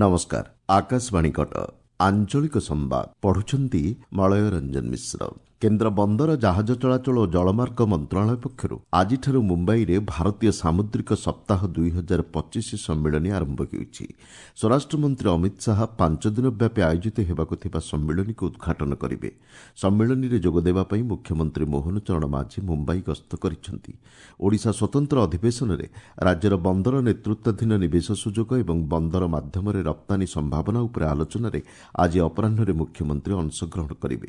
ନମସ୍କାର, ଆକାଶବାଣୀ କଟକ। ଆଞ୍ଚଳିକ ସମ୍ବାଦ ପଢୁଛନ୍ତି ମଳୟ ରଞ୍ଜନ ମିଶ୍ର। କେନ୍ଦ୍ର ବନ୍ଦର, ଜାହାଜ ଚଳାଚଳ ଓ ଜଳମାର୍ଗ ମନ୍ତ୍ରଣାଳୟ ପକ୍ଷରୁ ଆଜିଠାରୁ ମୁମ୍ବାଇରେ ଭାରତୀୟ ସାମୁଦ୍ରିକ ସପ୍ତାହ 2025 ସମ୍ମିଳନୀ ଆରମ୍ଭ ହେଉଛି। ସ୍ୱରାଷ୍ଟ୍ରମନ୍ତ୍ରୀ ଅମିତ ଶାହା 5 ଦିନ ବ୍ୟାପୀ ଆୟୋଜିତ ହେବାକୁ ଥିବା ସମ୍ମିଳନୀକୁ ଉଦ୍ଘାଟନ କରିବେ। ସମ୍ମିଳନୀରେ ଯୋଗଦେବା ପାଇଁ ମୁଖ୍ୟମନ୍ତ୍ରୀ ମୋହନ ଚରଣ ମାଝୀ ମୁମ୍ବାଇ ଗସ୍ତ କରିଛନ୍ତି। ଓଡ଼ିଶା ସ୍ୱତନ୍ତ୍ର ଅଧିବେଶନରେ ରାଜ୍ୟର ବନ୍ଦର ନେତୃତ୍ୱାଧୀନ ନିବେଶ ସୁଯୋଗ ଏବଂ ବନ୍ଦର ମାଧ୍ୟମରେ ରପ୍ତାନୀ ସମ୍ଭାବନା ଉପରେ ଆଲୋଚନାରେ ଆଜି ଅପରାହ୍ନରେ ମୁଖ୍ୟମନ୍ତ୍ରୀ ଅଂଶଗ୍ରହଣ କରିବେ।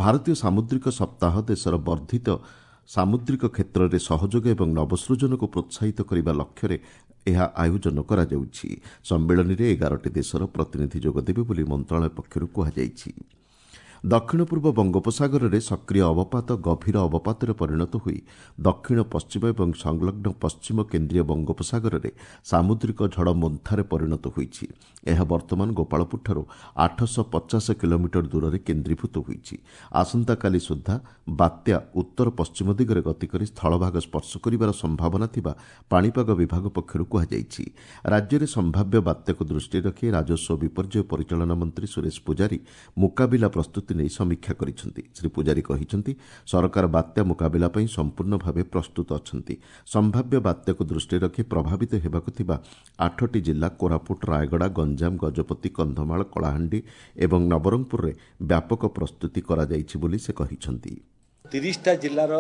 ଭାରତୀୟ ସାମୁଦ୍ରିକ ସପ୍ତାହ ଦେଶର ବର୍ଦ୍ଧିତ ସାମୁଦ୍ରିକ କ୍ଷେତ୍ରରେ ସହଯୋଗ ଏବଂ ନବସୃଜନକୁ ପ୍ରୋତ୍ସାହିତ କରିବା ଲକ୍ଷ୍ୟରେ ଏହା ଆୟୋଜନ କରାଯାଉଛି। ସମ୍ମିଳନୀରେ 11ଟି ଦେଶର ପ୍ରତିନିଧି ଯୋଗଦେବେ ବୋଲି ମନ୍ତ୍ରଣାଳୟ ପକ୍ଷରୁ କୁହାଯାଇଛି। ଦକ୍ଷିଣ ପୂର୍ବ ବଙ୍ଗୋପସାଗରରେ ସକ୍ରିୟ ଅବପାତ ଗଭୀର ଅବପାତରେ ପରିଣତ ହୋଇ ଦକ୍ଷିଣ ପଶ୍ଚିମ ଏବଂ ସଂଲଗ୍ନ ପଶ୍ଚିମ କେନ୍ଦ୍ରୀୟ ବଙ୍ଗୋପସାଗରରେ ସାମୁଦ୍ରିକ ଝଡ଼ ମୋନ୍ଥାରେ ପରିଣତ ହୋଇଛି। ଏହା ବର୍ତ୍ତମାନ ଗୋପାଳପୁରଠାରୁ 850 କିଲୋମିଟର ଦୂରରେ କେନ୍ଦ୍ରୀଭୂତ ହୋଇଛି। ଆସନ୍ତାକାଲି ସୁଦ୍ଧା ବାତ୍ୟା ଉତ୍ତର ପଶ୍ଚିମ ଦିଗରେ ଗତି କରି ସ୍ଥଳଭାଗ ସ୍ପର୍ଶ କରିବାର ସମ୍ଭାବନା ଥିବା ପାଣିପାଗ ବିଭାଗ ପକ୍ଷରୁ କୁହାଯାଇଛି। ରାଜ୍ୟରେ ସମ୍ଭାବ୍ୟ ବାତ୍ୟାକୁ ଦୃଷ୍ଟିରେ ରଖି ରାଜସ୍ୱ ବିପର୍ଯ୍ୟୟ ପରିଚାଳନା ମନ୍ତ୍ରୀ ସୁରେଶ ପୂଜାରୀ ମୁକାବିଲା ପ୍ରସ୍ତୁତି ନେଇ ସମୀକ୍ଷା କରିଛନ୍ତି। ଶ୍ରୀ ପୂଜାରୀ କହିଛନ୍ତି, ସରକାର ବାତ୍ୟା ମୁକାବିଲା ପାଇଁ ସମ୍ପୂର୍ଣ୍ଣ ଭାବେ ପ୍ରସ୍ତୁତ ଅଛନ୍ତି। ସମ୍ଭାବ୍ୟ ବାତ୍ୟାକୁ ଦୃଷ୍ଟିରେ ରଖି ପ୍ରଭାବିତ ହେବାକୁ ଥିବା 8ଟି ଜିଲ୍ଲା କୋରାପୁଟ, ରାୟଗଡ଼ା, ଗଞ୍ଜାମ, ଗଜପତି, କନ୍ଧମାଳ, କଳାହାଣ୍ଡି ଏବଂ ନବରଙ୍ଗପୁରରେ ବ୍ୟାପକ ପ୍ରସ୍ତୁତି କରାଯାଇଛି ବୋଲି ସେ କହିଛନ୍ତି। 30ଟା ଜିଲ୍ଲାର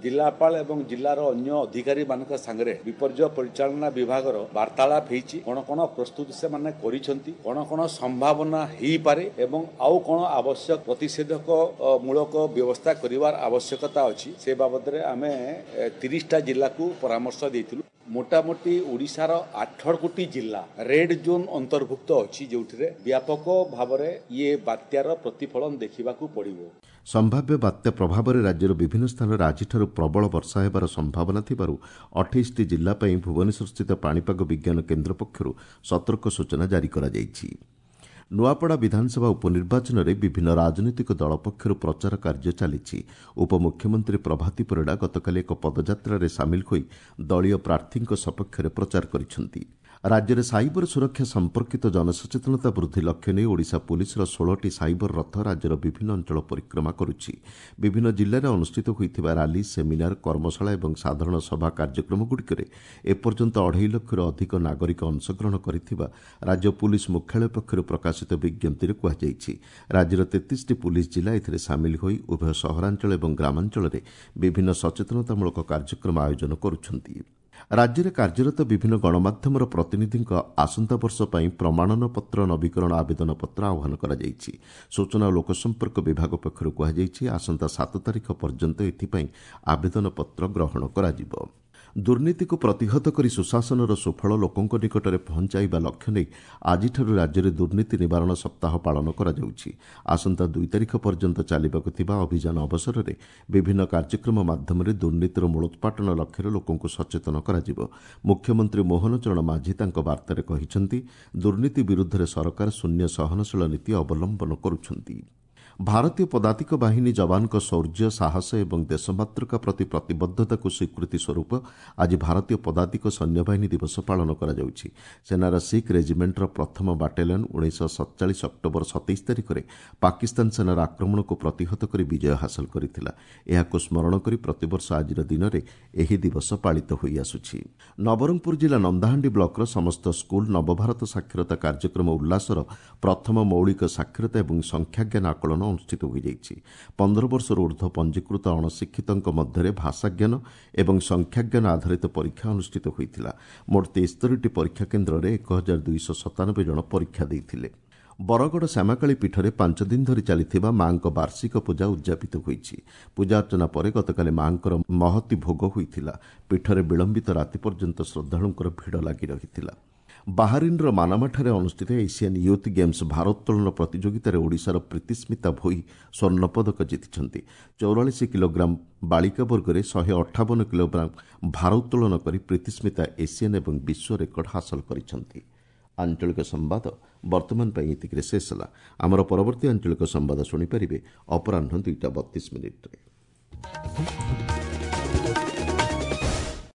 ଜିଲ୍ଲାପାଳ ଏବଂ ଜିଲ୍ଲାର ଅନ୍ୟ ଅଧିକାରୀମାନଙ୍କ ସାଙ୍ଗରେ ବିପର୍ଯ୍ୟୟ ପରିଚାଳନା ବିଭାଗର ବାର୍ତ୍ତାଳାପ ହେଇଛି। କ'ଣ କ'ଣ ପ୍ରସ୍ତୁତି ସେମାନେ କରିଛନ୍ତି, କ'ଣ କ'ଣ ସମ୍ଭାବନା ହେଇପାରେ ଏବଂ ଆଉ କ'ଣ ଆବଶ୍ୟକ ପ୍ରତିଷେଧକ ମୂଳକ ବ୍ୟବସ୍ଥା କରିବାର ଆବଶ୍ୟକତା ଅଛି, ସେ ବାବଦରେ ଆମେ 30ଟା ଜିଲ୍ଲାକୁ ପରାମର୍ଶ ଦେଇଥିଲୁ। ମୋଟାମୋଟି ଓଡ଼ିଶାର 8 ଗୋଟି ଜିଲ୍ଲା ରେଡ୍ ଜୋନ୍ ଅନ୍ତର୍ଭୁକ୍ତ ଅଛି, ଯେଉଁଥିରେ ବ୍ୟାପକ ଭାବରେ ଇଏ ବାତ୍ୟାର ପ୍ରତିଫଳନ ଦେଖିବାକୁ ପଡ଼ିବ। ସମ୍ଭାବ୍ୟ ବାତ୍ୟା ପ୍ରଭାବରେ ରାଜ୍ୟର ବିଭିନ୍ନ ସ୍ଥାନରେ ଆଜିଠାରୁ ପ୍ରବଳ ବର୍ଷା ହେବାର ସମ୍ଭାବନା ଥିବାରୁ 28ଟି ଜିଲ୍ଲା ପାଇଁ ଭୁବନେଶ୍ୱରସ୍ଥିତ ପାଣିପାଗ ବିଜ୍ଞାନ କେନ୍ଦ୍ର ପକ୍ଷରୁ ସତର୍କ ସୂଚନା ଜାରି କରାଯାଇଛି। ନୂଆପଡ଼ା ବିଧାନସଭା ଉପନିର୍ବାଚନରେ ବିଭିନ୍ନ ରାଜନୈତିକ ଦଳ ପକ୍ଷରୁ ପ୍ରଚାର କାର୍ଯ୍ୟ ଚାଲିଛି। ଉପମୁଖ୍ୟମନ୍ତ୍ରୀ ପ୍ରଭାତୀ ପରିଡ଼ା ଗତକାଲି ଏକ ପଦଯାତ୍ରାରେ ସାମିଲ ହୋଇ ଦଳୀୟ ପ୍ରାର୍ଥୀଙ୍କ ସପକ୍ଷରେ ପ୍ରଚାର କରିଛନ୍ତି। ରାଜ୍ୟରେ ସାଇବର ସୁରକ୍ଷା ସମ୍ପର୍କିତ ଜନସଚେତନତା ବୃଦ୍ଧି ଲକ୍ଷ୍ୟ ନେଇ ଓଡ଼ିଶା ପୁଲିସର 16ଟି ସାଇବର ରଥ ରାଜ୍ୟର ବିଭିନ୍ନ ଅଞ୍ଚଳ ପରିକ୍ରମା କରୁଛି। ବିଭିନ୍ନ ଜିଲ୍ଲାରେ ଅନୁଷ୍ଠିତ ହୋଇଥିବା ରାଲି, ସେମିନାର, କର୍ମଶାଳା ଏବଂ ସାଧାରଣ ସଭା କାର୍ଯ୍ୟକ୍ରମଗୁଡ଼ିକରେ ଏପର୍ଯ୍ୟନ୍ତ 2.5 ଲକ୍ଷରୁ ଅଧିକ ନାଗରିକ ଅଂଶଗ୍ରହଣ କରିଥିବା ରାଜ୍ୟ ପୁଲିସ ମୁଖ୍ୟାଳୟ ପକ୍ଷରୁ ପ୍ରକାଶିତ ବିଜ୍ଞପ୍ତିରେ କୁହାଯାଇଛି। ରାଜ୍ୟର 33ଟି ପୁଲିସ ଜିଲ୍ଲା ଏଥିରେ ସାମିଲ ହୋଇ ଉଭୟ ସହରାଞ୍ଚଳ ଏବଂ ଗ୍ରାମାଞ୍ଚଳରେ ବିଭିନ୍ନ ସଚେତନତାମୂଳକ କାର୍ଯ୍ୟକ୍ରମ ଆୟୋଜନ କରୁଛନ୍ତି। ରାଜ୍ୟରେ କାର୍ଯ୍ୟରତ ବିଭିନ୍ନ ଗଣମାଧ୍ୟମର ପ୍ରତିନିଧିଙ୍କ ଆସନ୍ତା ବର୍ଷ ପାଇଁ ପ୍ରମାଣନପତ୍ର ନବୀକରଣ ଆବେଦନ ପତ୍ର ଆହ୍ୱାନ କରାଯାଇଛି। ସୂଚନା ଓ ଲୋକସମ୍ପର୍କ ବିଭାଗ ପକ୍ଷରୁ କୁହାଯାଇଛି, ଆସନ୍ତା 7 ତାରିଖ ପର୍ଯ୍ୟନ୍ତ ଏଥିପାଇଁ ଆବେଦନପତ୍ର ଗ୍ରହଣ କରାଯିବ। ଦୁର୍ନୀତିକୁ ପ୍ରତିହତ କରି ସୁଶାସନର ସୁଫଳ ଲୋକଙ୍କ ନିକଟରେ ପହଞ୍ଚାଇବା ଲକ୍ଷ୍ୟ ନେଇ ଆଜିଠାରୁ ରାଜ୍ୟରେ ଦୁର୍ନୀତି ନିବାରଣ ସପ୍ତାହ ପାଳନ କରାଯାଉଛି। ଆସନ୍ତା 2 ତାରିଖ ପର୍ଯ୍ୟନ୍ତ ଚାଲିବାକୁ ଥିବା ଅଭିଯାନ ଅବସରରେ ବିଭିନ୍ନ କାର୍ଯ୍ୟକ୍ରମ ମାଧ୍ୟମରେ ଦୁର୍ନୀତିର ମୂଳୋତ୍ପାଟନ ଲକ୍ଷ୍ୟରେ ଲୋକଙ୍କୁ ସଚେତନ କରାଯିବ। ମୁଖ୍ୟମନ୍ତ୍ରୀ ମୋହନ ଚରଣ ମାଝୀ ତାଙ୍କ ବାର୍ତ୍ତାରେ କହିଛନ୍ତି, ଦୁର୍ନୀତି ବିରୁଦ୍ଧରେ ସରକାର ଶୂନ୍ୟ ସହନଶୀଳ ନୀତି ଅବଲମ୍ବନ କରୁଛନ୍ତି। ଭାରତୀୟ ପଦାତିକ ବାହିନୀ ଯବାନଙ୍କ ଶୌର୍ଯ୍ୟ, ସାହସ ଏବଂ ଦେଶମାତୃକା ପ୍ରତି ପ୍ରତିବଦ୍ଧତାକୁ ସ୍ୱୀକୃତି ସ୍ୱରୂପ ଆଜି ଭାରତୀୟ ପଦାତିକ ସୈନ୍ୟବାହିନୀ ଦିବସ ପାଳନ କରାଯାଉଛି। ସେନାର ଶିଖ୍ ରେଜିମେଣ୍ଟର ପ୍ରଥମ ବାଟାଲିୟନ 1947 ଅକ୍ଟୋବର 27 ତାରିଖରେ ପାକିସ୍ତାନ ସେନାର ଆକ୍ରମଣକୁ ପ୍ରତିହତ କରି ବିଜୟ ହାସଲ କରିଥିଲା। ଏହାକୁ ସ୍ମରଣ କରି ପ୍ରତିବର୍ଷ ଆଜିର ଦିନରେ ଏହି ଦିବସ ପାଳିତ ହୋଇଆସୁଛି। ନବରଙ୍ଗପୁର ଜିଲ୍ଲା ନନ୍ଦାହାଣ୍ଡି ବ୍ଲକର ସମସ୍ତ ସ୍କୁଲ ନବଭାରତ ସାକ୍ଷରତା କାର୍ଯ୍ୟକ୍ରମ ଉଲ୍ଲାସର ପ୍ରଥମ ମୌଳିକ ସାକ୍ଷରତା ଏବଂ ସଂଖ୍ୟାଜ୍ଞାନ ଆକଳନ ଅନୁଷ୍ଠିତ ହୋଇଯାଇଛି। 15 ବର୍ଷରୁ ଉର୍ଦ୍ଧ୍ୱ ପଞ୍ଜୀକୃତ ଅଣଶିକ୍ଷିତଙ୍କ ମଧ୍ୟରେ ଭାଷାଜ୍ଞାନ ଏବଂ ସଂଖ୍ୟାଜ୍ଞାନ ଆଧାରିତ ପରୀକ୍ଷା ଅନୁଷ୍ଠିତ ହୋଇଥିଲା। ମୋଟ 73ଟି ପରୀକ୍ଷା କେନ୍ଦ୍ରରେ 1297 ଜଣ ପରୀକ୍ଷା ଦେଇଥିଲେ। ବରଗଡ଼ ଶ୍ୟାମାକାଳୀ ପୀଠରେ 5 ଦିନ ଧରି ଚାଲିଥିବା ମା'ଙ୍କ ବାର୍ଷିକ ପୂଜା ଉଦ୍ଯାପିତ ହୋଇଛି। ପୂଜାର୍ଚ୍ଚନା ପରେ ଗତକାଲି ମା'ଙ୍କର ମହତି ଭୋଗ ହୋଇଥିଲା। ପୀଠରେ ବିଳମ୍ବିତ ରାତି ପର୍ଯ୍ୟନ୍ତ ଶ୍ରଦ୍ଧାଳୁଙ୍କର ଭିଡ଼ ଲାଗି ରହିଥିଲା। ବାହାରିନ୍ର ମାନାମାଠାରେ ଅନୁଷ୍ଠିତ ଏସିଆନ୍ ୟୁଥ୍ ଗେମ୍ସ ଭାରୋତ୍ତୋଳନ ପ୍ରତିଯୋଗିତାରେ ଓଡ଼ିଶାର ପ୍ରୀତିସ୍ମିତା ଭୋଇ ସ୍ୱର୍ଣ୍ଣପଦକ ଜିତିଛନ୍ତି। 44 କିଲୋଗ୍ରାମ ବାଳିକା ବର୍ଗରେ 158 କିଲୋଗ୍ରାମ ଭାରୋତ୍ତୋଳନ କରି ପ୍ରୀତିସ୍ମିତା ଏସିଆନ୍ ଏବଂ ବିଶ୍ୱ ରେକର୍ଡ ହାସଲ କରିଛନ୍ତି। ଆଞ୍ଚଳିକ ସମ୍ବାଦ ବର୍ତ୍ତମାନ ପାଇଁ ଏତିକିରେ ଶେଷ ହେଲା। ଆମର ପରବର୍ତ୍ତୀ ଆଞ୍ଚଳିକ ସମ୍ବାଦ ଶୁଣିପାରିବେ ଅପରାହ୍ନ 2ଟା 32 ମିନିଟ୍ରେ।